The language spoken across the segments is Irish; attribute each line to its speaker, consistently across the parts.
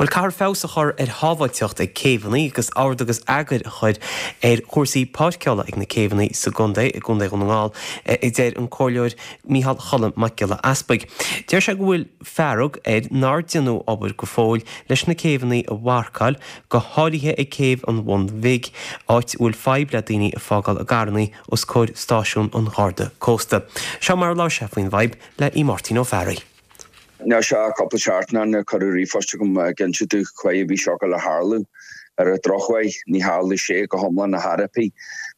Speaker 1: Bhuel, caithfear feabhas a chur ar shábháilteacht ag céibheanna agus ord agus eagar a chur ar chúrsaí páirceála ag na céibheanna sa gcontae, i gContae Dhún na nGall, a deir an Comhairleoir Micheál Cholm Mac Giolla Easpaig. Deir sé go bhfuil fearg air nár deineadh obair go fóill leis na céibheanna a mharcáil, go háirithe ag céibh an Bhun Bhig, áit a bhfuil fadhb le daoine ag fágáil a gcarranna os comhair stáisiún an Gharda Cósta. Seo mar a labhair sé faoin bhfadhb le Aodh Máirtín Ó Fearraigh.
Speaker 2: Níl sé ach cúpla seachtain ó shin a cuireadh ríomhphost chugam ag inse domh cá a bhí seo ag dul a tharlú. Ar an drochuair, ní tharlaigh sé go hiomlán ar chor ar bith.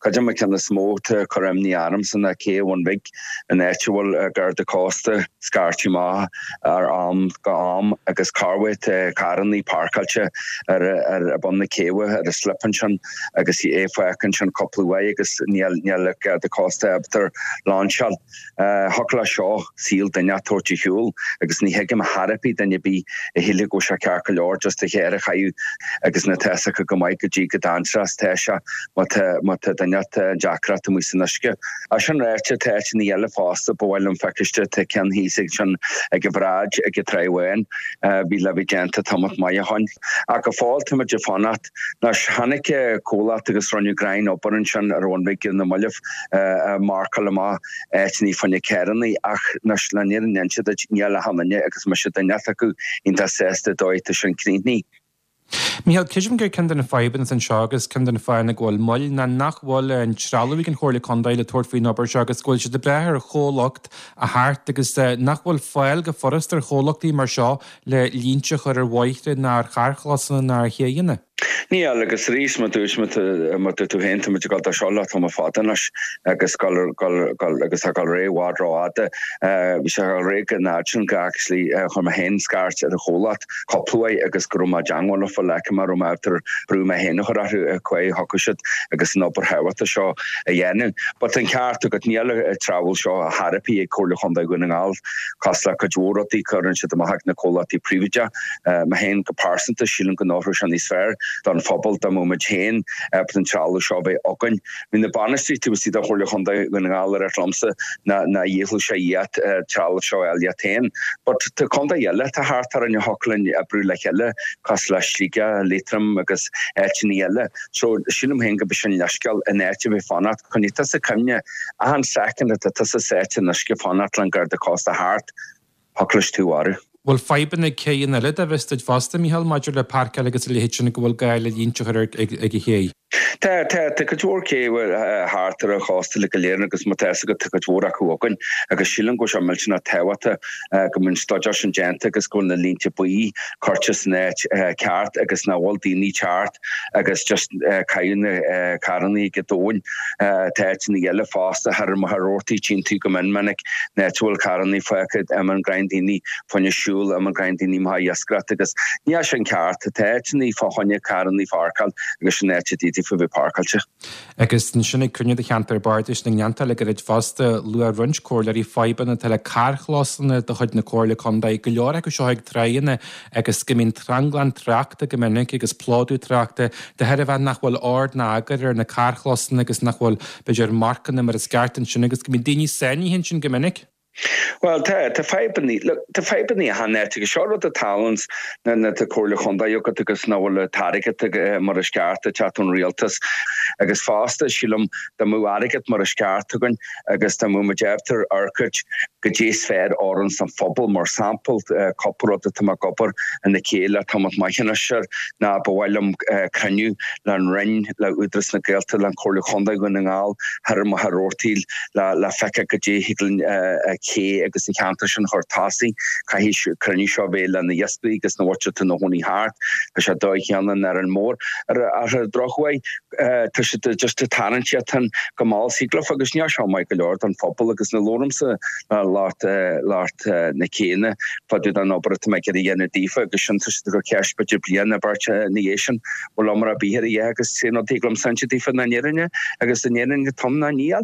Speaker 2: Cuid de na cinn is mó atá ag cur imní ormsa ná cé an Bhun Bhig, an áit a bhfuil Garda Cósta scairte amach ar am go am agus corruair tá carrannaí páirceáilte ar ar bun na céibhe ar an slip ansin agus é fágtha ansin cúpla uair agus níl níl Garda Cósta ábalta lainseáil. Thiocfadh leis seo saol duine a thabhairt ar shiúl agus ní thuigim ar chor ar bith duine ar bith a shílfeadh go bhfuil sé ceart go leor just do charr a chaitheamh agus ná tá fhios acu go maith goidé chomh dainséarach is tá sé má tá má tá duine an deacracht amuigh san uisce. É sin ráite tá áiteanna eile fosta ba mhaith liom feiciste tá ceann thíos ag sin ag an bhráid ag an Tráigh Bháin bhí le bheith déanta tamalt maith ó shoin. Ach go fóill táimid ag fanacht. Anois tháinig comhlacht agus rinneadh greim obair ansin ar Bhun Bhig ar na mallaibh ag marcáil amach áiteanna fá choinne carrannaí ach anois le fírinne a inse duit níl achan duine agus mise duine acu iontach sásta dóigh atá sin críochnaithe.
Speaker 3: Micheál, creidim gur ceann de na fadhbanna atá anseo agus ceann de na fáthanna go bhfuil moill ná nach bhfuil an trealamh ag an Chomhairle Contae le tabhairt faoin obair seo agus go bhfuil siad ag brath ar chomhlacht a theacht agus nach bhfuil fáil go furast ar chomhlachtaí mar seo le línte a chur ar bhóithre ná ar charrchlósanna ná ar chéidheanna.
Speaker 2: Níl, agus arís, mar dúirt, mar dúirt tú féin, táimid ag dul dó seo le tamall fada anois agus gul, gul, gul, agus tá ag dul ar aghaidh i bhfad rófhada. Bhí sé ag dul ar aghaidh chomh fada sin go actually chuir mé féin scairt ar an chomhlacht cúpla uair agus go raibh mé i dteangmháil leofa le go raibh mé ábalta brú mé féin a chur orthu cá thiocfadh siad agus an obair thábhachtach seo a dhéanamh. But tá an ceart agat, níl an trealamh seo ar chor ar bith ag Comhairle Chontae Dhún na nGall. Cosúil le cuid mhór rudaí, cuireann siad amach ag na comhlachtaí príobháideacha. Mé féin go pearsanta, sílim go n-oirfeadh sé níos fearr don phobal dá mbeadh muid féin ábalta an trealamh seo a bheith againn. Bhí na bainisteoirí taobh istigh de Chomhairle Chontae Dhún na nGall ag ráit liomsa ná ná dhíothú sé iad trealamh seo a fháil iad féin. But tá contae eile atá thart orainn a thiocfadh linn oibriú le chéile, cosúil le Sligeach, Liatroim agus áiteanna eile. So sílim féin go b'é sin leithscéal in áit a bheith fanacht. Coinnigh tusa cuimhne, achan soicind atá tusa sáite in uisce fanacht leis an Garda Cósta thart, thiocfadh leis tú a mharú.
Speaker 3: Bhfuil fadhbanna ag céidheanna eile dá bhfios duit fosta, Micheál, maidir le páirceáil agus a leithéid sin go bhfuil gá le línte a chur ag an ché?
Speaker 2: Tá, tá, tá cuid mhór cé thart ar an chósta uilig go léir agus má tá fhios agat tá cuid mhór acu againn agus sílim go bhfuil sé millteanach tábhachtach go mbíonn staidéar sin déanta agus go bhfuil na línte buí curtha san áit ceart agus nach bhfuil daoine teacht agus just caitheamh na carrannaí ag an dtóin. Tá áiteanna eile fosta thar Machaire Rabhartaigh tchíonn tú go mion minic an áit a bhfuil carrannaí fágtha imíonn greim daoine fá choinne siúl, imíonn greim daoine amach ag iascaireacht agus níl sin ceart. Tá áiteanna fá choinne carrannaí pháirceáil agus sin áit a d'fhéadfaí bheith páirceáilte.
Speaker 3: Agus ansin ag cruinniú de cheantar bardais na nGleanntach le gairid fosta, luaigh roinnt comhairleoirí fadhbanna atá le carrchlósanna de chuid na Comhairle Contae, go leor acu seo ag tráigheanna agus go mbíonn tranglam tráchta go minic agus plódú tráchta de thairbhe nach bhfuil ord ná eagar ar na carrchlósanna agus nach bhfuil, b'fhéidir, marcanna mar is ceart ansin agus go mbíonn daoine sáinnithe ansin go minic.
Speaker 2: Bhuel, tá, tá fadhbannaí, look, tá fadhbannaí achan áit agus seo rud a tharlaíonns nuair atá Comhairle Chontae agat agus nach bhfuil an t-airgead mar is ceart ag teacht ón rialtas agus fosta, sílim, dá mbeadh airgead mar is ceart againn agus dá mbeadh muid ábalta amharc goidé is fearr a oireanns don phobal, mar sampla, cúpla rud atá mé ag obair ina chéile le tamall maith anois air ná ba mhaith liom cruinniú le an Roinn, le Údarás na Gaeltachta, le Comhairle Chontae Dhún na nGall, thoir i Machaire Rabhartaigh le le feiceáil goidé thig linn cé agus an cheantar sin a chur tosaigh. Caithfidh cruinniú seo a bheith le na iascairí agus na mhuintir atá ina chónaí thart. Tá sé dóigh chéanna in Árainn Mhór. Ar an drochuair, tá siad just ag tarraingt iad féin go mall síglaf agus níl seo maith go leor don phobal agus nuair a labhraímse le lucht lucht na céanna fá dtaobh den obair atá mé ag iarraidh a dhéanamh daofa agus sin tá siad ag cur ceist b'fhéidir bliain nó beirt ina dhiaidh sin bhfuil iomrá ar bith ar a dhath agus sé an rud a thig liomsa a inse daofa ná an fhírinne agus an fhírinne atá ann ná níl.